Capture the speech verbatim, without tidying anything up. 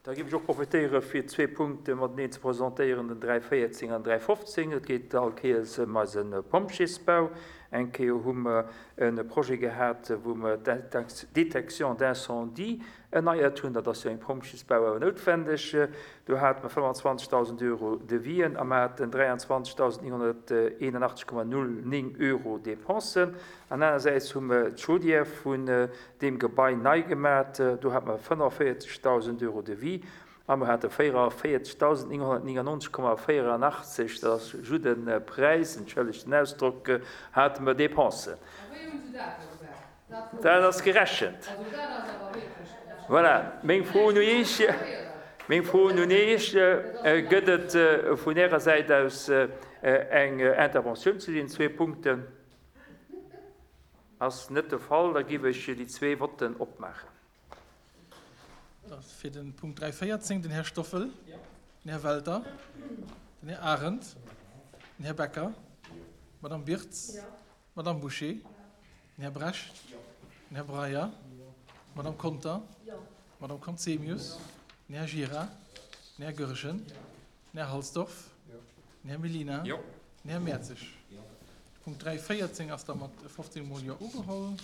Da géif ech och profitéiere fir zwee Punkte mateneen ze presentéieren, den dräi véierzéng an dräi fofzéng. Et geet all Kéiers ëm eise Pompjeesbau. Eng Kéier hu mer e Projet gehat, wou mer d'Détection d'incendie erneiert hunn. Dat ass jo eng Pompjeesbau awer noutwendeg. Do hate mer fënnefanzwanzegdausend Euro Devisen a mer haten dräianzwanzegdausend nénghonnerteenenachtzeg Komma null néng Euro Dépensen. An anersäits hu mer d'Chaudière vun deem Gebai nei gemat. Do hate mer fënnefavéierzegdausend Euro Devis a mer hate véierundavéierzegdausend nénghonnertnéngannonzeg Komma véierunachtzeg, dat ass just e Präis, entschëllegt den Ausdrock, hate mer Dépensen. Dat ass gerechent. Voilà, meng Fro un Iech, meng Fro un Iech, Gëtt et vun Ärer Säit aus eng Interventioun zu deenen zwee Punkten? Ass net de Fall, da giff ech déi zwee Votten opmaachen. Fir den Punkt dräi véierzéng den Här Stoffel, den Här Welter, den Här Arendt, den Här Becker, d'Madame Birtz, d'Madame Bouché, den Här Brecht, den Här Breyer, d'Madame Conter, d'Madame Conzemius, den Här Gira, den Här Goergen, den Här Halsdorf, den Här Mellina, den Här Mertzig. De Punkt dräi véierzéng ass da mat fofzéng Mol Jo ugeholl.